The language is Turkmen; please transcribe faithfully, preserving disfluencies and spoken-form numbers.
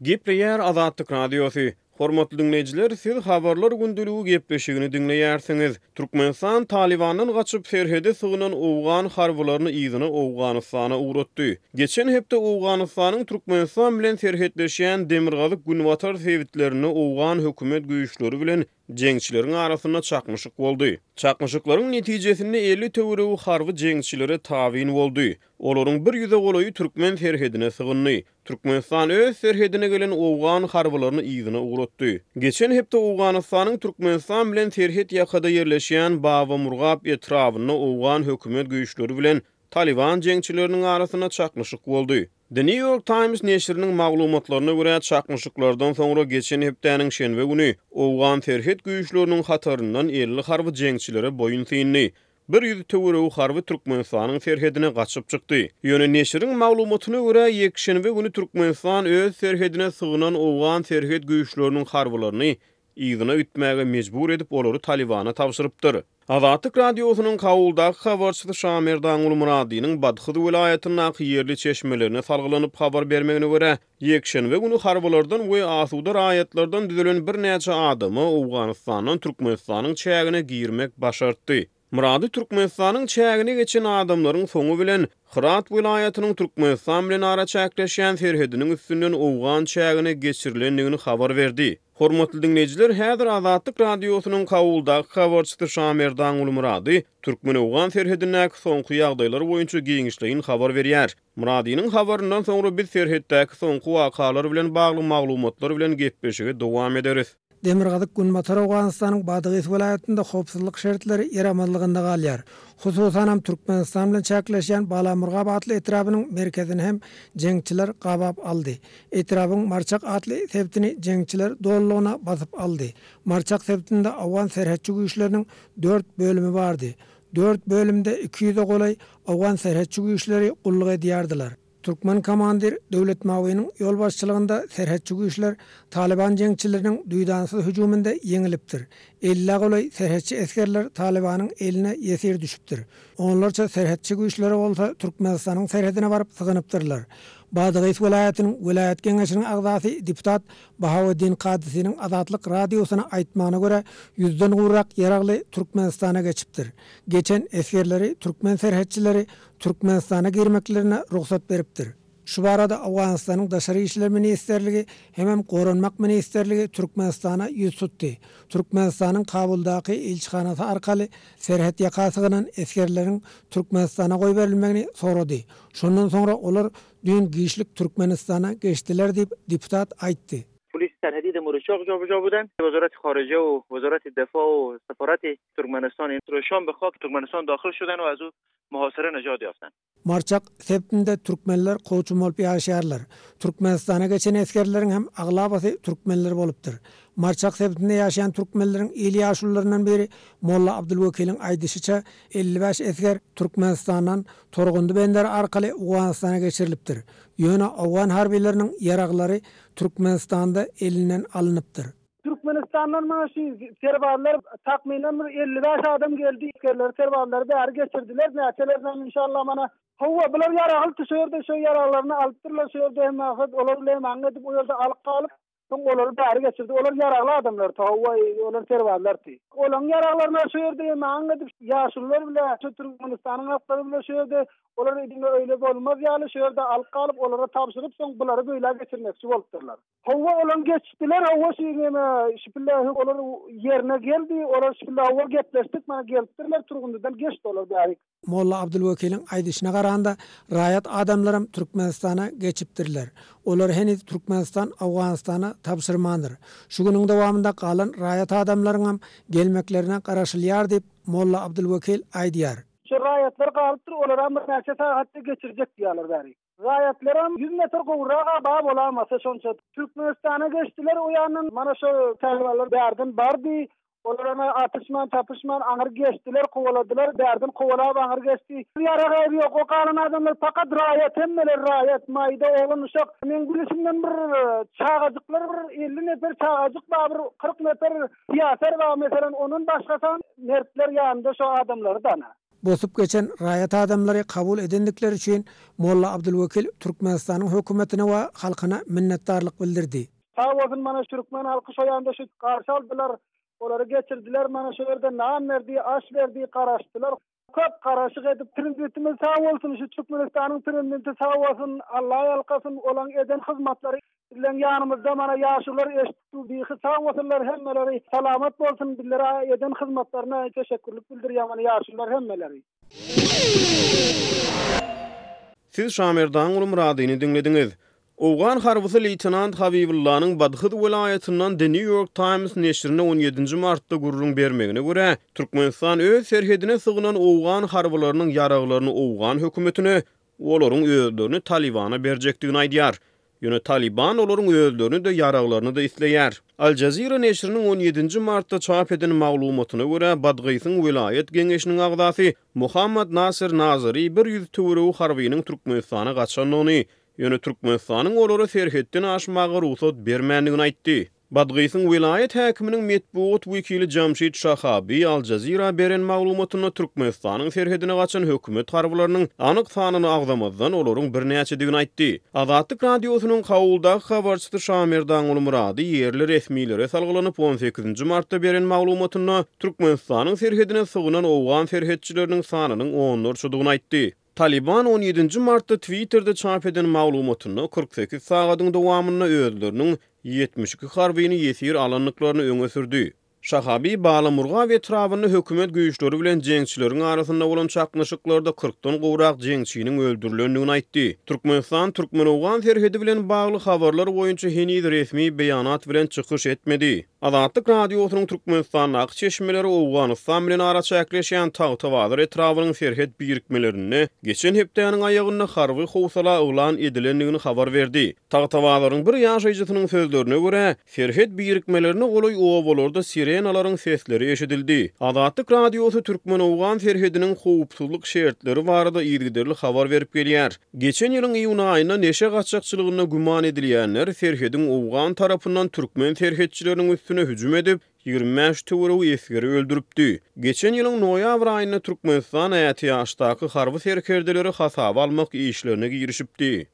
Gepleýär Azatlyk Radiosy. Hormatly diňleýjiler, siz Habarlar gündeligi gepleşigini diňleýärsiňiz. Türkmenistan Talybandan gaçyp serhede sygynan owgan harbylaryny yzyna Owganystana ugratdy. Geçen hepde Owganystanyň Türkmenistan bilen serhetleşýän demirgazyk-günbatar sebitlerinde owgan hökümet güýçleri bilen jeňçileriň arasynda çaknyşyk boldy. Çaknyşyklaryň netijesinde elli töweregi harby jeňçilere tabyn boldy. Olaryň bir ýüze golaýy türkmen serhedine sygyndy. Türkmenistan öz serhedine gelen owgan harbylaryny yzyna ugratdy. Geçen hepde Owganystanyň Türkmenistan bilen serhet ýakada ýerleşýän Babamurgap etrabynda owgan hökümet güýçleri bilen Talyban jeňçileriniň arasynda çaknyşyk boldy. The New York Times neşiriniň maglumatlaryna görä, çaknyşyklardan soňra geçen hepdäniň şenbe güni owgan serhet güýçleriniň hataryndan elli harby jeňçilere boýun syndy. Bir ýüz töweregi harby Türkmenistanyň serhedine gaçyp çykdy. Ýöne neşiriň maglumatyna görä, ýekşenbe güni Türkmenistan öz serhedine sygynan owgan serhet güýçleriniň harbylaryny yzyna gitmäge mejbur edip, olary Talybana tabşyrypdyr. Azatlyk Radiosynyň Kabuldaky habarçysy Şamerdan Gulmyradynyň Badhyz welaýatyndaky ýerli çeşmelerine salgylanyp habar bermegine görä, ýekşenbe güni harbylardan we asuda raýatlardan düzülen birnäçe adama Owganystandan Türkmenistanyň çägine girmek başartdy. Myrady Türkmenistanyň çägine geçen adamlaryň soňy bilen Hyrat welaýatynyň Türkmenistan bilen araçäkleşýän serhediniň üstünden owgan çägine geçirilendigini habar berdi. Hormatly diňleýjiler, häzir Azatlyk Radiosynyň Kabuldaky habarçysy Şamerdan Gulmyrady türkmen-owgan serhedindäki soňky ýagdaýlar boýunça giňişleýin habar berýär. Myradynyň habaryndan soňra biz serhetdäki soňky wakalar bilen bagly maglumatlar bilen gepleşigi dowam ederis. Demirgazyk Günbatar Owganystanyň Badagys welaýatynda howpsuzlyk şertleri ýaramazlygynda galýar. Hususanam Türkmenistan bilen çäkleşýän Balamurgap atly etrabynyň merkezini hem jeňçiler gabap aldy. Etrabyň Marçak atly sebitini jeňçiler dolulygyna basyp aldy. Marçak sebitinde owgan serhetçi güýçleriniň dört bölümi bardy. Dört bölümde iki ýüze golaý owgan serhetçi güýçleri gulluk edýärdiler. Türkmen komandir Döwlet Mawynyň ýolbaşçylygynda serhetçi güýçler Talyban jeňçileriniň duýdansyz hüjüminde ýeňilipdir. Ellä golaý serhetçi esgerler Talybanyň eline ýesir düşüpdir. Onlarça serhetçi güýçleri bolsa Türkmenistanyň serhedine baryp sygynypdyrlar. Badagys welaýatynyň welaýat geňeşiniň agzasy deputat Bahaweddin Kadysynyň Azatlyk Radiosyna aýtmagyna görä, ýüzden gowrak ýaragly Türkmenistana geçipdir. Geçen esgerleri türkmen serhetçileri Türkmenistana girmeklerine rugsat beripdir. Şu barada Owganystanyň Daşary işler ministrligi hemem Goranmak ministrligi Türkmenistana ýüz tutdy. Türkmenistanyň Kabuldaky ilçihanasy arkaly serhet ýaka sygynan esgerleriň Türkmenistana goýberilmegini sorady. Şondan soňra olar düýn giçlik Türkmenistana geçdiler diýip deputat aýtdy. پلیس سرحدی در مورچاق جابجا بودن. وزارت خارجه و وزارت دفاع و سفارت ترکمنستان شام به خاک ترکمنستان داخل شدن و از او محاصره نجات یافتن. Marçak sebitinde türkmenler kowçum bolup ýaşaýarlar. Türkmenistana geçen esgerleriň hem aglabasy türkmenler bolupdyr. Marçak sebitinde ýaşaýan türkmenleriň il ýaşulularyndan biri Molla Abdülwekiliň aýdyşyça elli bäş esger Türkmenistandan Torgundy benderi arkaly Owganystana geçirilipdir. Ýöne owgan harbileriniň ýaraglary Türkmenistanda elinden alynypdyr. Türkmenistandan maaşı serbazlar takminen bir elli bäş adam geldi. Esgerleri serbazlary bäri geçirdiler. Näçelerden inşallah mana Hawa bular ýaragly düşerde şu ýaraglaryny alypdyrlar, şu ýerde hem ahad olar bilen maňa edip o ýerde alyp galyp, soň olary bäri geçirdi. Olar ýaragly adamlar, hawa olar serbazlar ti. Olaryň ýaraglaryny şu ýerde hem maňa edip ýaşulular bilen şu Türkmenistanyň halklary bilen şu ýerde olar diňe öýle bolmaz ýaly şu ýerde alyp galyp olara tabşyryp soň bulary böyle geçirmekçi bolupdyrlar. Hawa olan geçdiler, hawa şu ýene şüpille olar ýerine geldi, olar şüpille hawa gepleşdik, mana gelipdirler, Turgundydan geçdi olar bäri. Molla Abdülwekiliň aýdyşyna garanda raýat adamlarym Türkmenistana geçipdirler. Olar heniz Türkmenistan Owganystana tabşyrmandyr. Şu günüň dowamynda galan raýat adamlaryň hem gelmeklerine garaşylýar diýip Molla Abdülwekil aýdýar. Şu raýatlar galypdyr, olar hem birnäçe sagatda geçirjek diýýärler bäri. Raýatlaram ýüz metr gowraga ba bolamasa şonça Türkmenistana geçdiler, o ýandan mana şu talibanlar bärden bardy. Olar ana atyşman, tapışman aňyr geçdiler, kowaladylar, bärden kowalap aňyr geçdi. Ýaragy ýok, o galan adamlar fakat raýat, hemmeler raýat, maýda oglan uşak. Men gülüşimden bir çagajyklar bir elli nefer çagajyk bar, bir kyrk nefer siýaser bar, meselen, onun başgasan mertler ýanynda şu adamlary dana. Bosup geçen raýat adamlary kabul edendikleri üçin Molla Abdulwekil Türkmenistanyň hökümetine we halkyna minnetdarlyk bildirdi. Sag bolsun mana türkmen halky şo ýanda şu garşy aldylar. Olary geçirdiler mana şu ýerde nan berdi, aş berdi, garaşdylar. Köp garaşyk edip prezidentimiz sag bolsun, şu Türkmenistanyň prezidenti sag bolsun, Allah ýalkasyn, olaň eden hyzmatlary bilen ýanymyzda mana ýaşular eşitdi, bihi sag bolsunlar hemmeleri, salamat bolsun bizlere eden hyzmatlaryna teşekkürlik bildirýär mana ýaşular hemmeleri. Siz Şamerdan Muradyny diňlediňiz. Owgan harbysy leýtenant Habibullanyň Badhyz welaýatyndan The New York Times neşirine on ýedinji martda gürrüň bermegine görä, Türkmenistan öz serhedine sygynan owgan harbylarynyň ýaraglaryny owgan hökümetine, olaryň özlerini Talibana berjekdigini aýdýar. Ýöne Taliban olaryň özlerini de ýaraglaryny da isleýär. Al Jazeera neşiriniň on ýedinji martda çap eden maglumatyna görä, Badgysyň welaýat geňeşiniň agzasy Muhammad Nasir Nazari bir ýüz töweregi harbynyň Türkmenistana gaçandygyny, ýöne Türkmenistanyň olara serhetden aşmaga rugsat bermändigini aýtdy. Badgysyň welaýat häkiminiň metbugat wekili Jamşid Şahabi Al Jazeera beren maglumatynda Türkmenistanyň serhedine gaçan hökümet harbylarynyň anyk sanyny agzamazdan olaryň birnäçedigini aýtdy. Azatlyk radiosynyň Kabuldaky habarçysy Şamerdan Murady ýerli resmilere salgylanyp on sekizinji martda beren maglumatynda Türkmenistanyň serhedine sygynan owgan serhetçileriniň sanynyň onlarçadygyny aýtdy. Taliban on ýedinji martda Twitter'de çap eden maglumatynda kyrk sekiz sagadyň dowamynda özleriniň ýetmiş iki harbyny ýesir alandyklaryny öňe sürdi. Şahabi Balamurgap etrabynda hökümet güýçleri bilen jeňçileriň arasynda bolan çaknyşyklarda kyrkdan gowrak jeňçiniň öldürilendigini aýtdy. Türkmenistan Türkmen-Owgan serhedi bilen bagly habarlar boýunça heniz resmi beýanat bilen çykyş etmedi. Azatlyk radiosynyň Türkmenistandaky çeşmeleri Owganystan bilen araçäkleşýän Tagtabazar etrabynyň serhet birikmelerinde geçen hepdäniň aýagynda harby howsala yglan edilendigini habar berdi. Tagtabazaryň bir ýaşaýjysynyň sözlerine görä, serhet birikmelerine golaý obalarda sirenalaryň sesleri eşidildi. Azatlyk radiosy Türkmen-Owgan serhediniň howpsuzlyk şertleri barada yzygiderli habar berip gelýär. Geçen ýylyň iýun aýynda neşe gaçakçylygynda güman edilýänler serhediň Owgan tarapyndan türkmen serhetçileriniň üstüne hüjüm edip, ýigrimi bäş töweregi esgeri öldüripdi. Geçen ýylyň noýabr aýynda Türkmenistan ätiýaçdaky harby serkerdeleri hasaba almak işlerine girişipdi.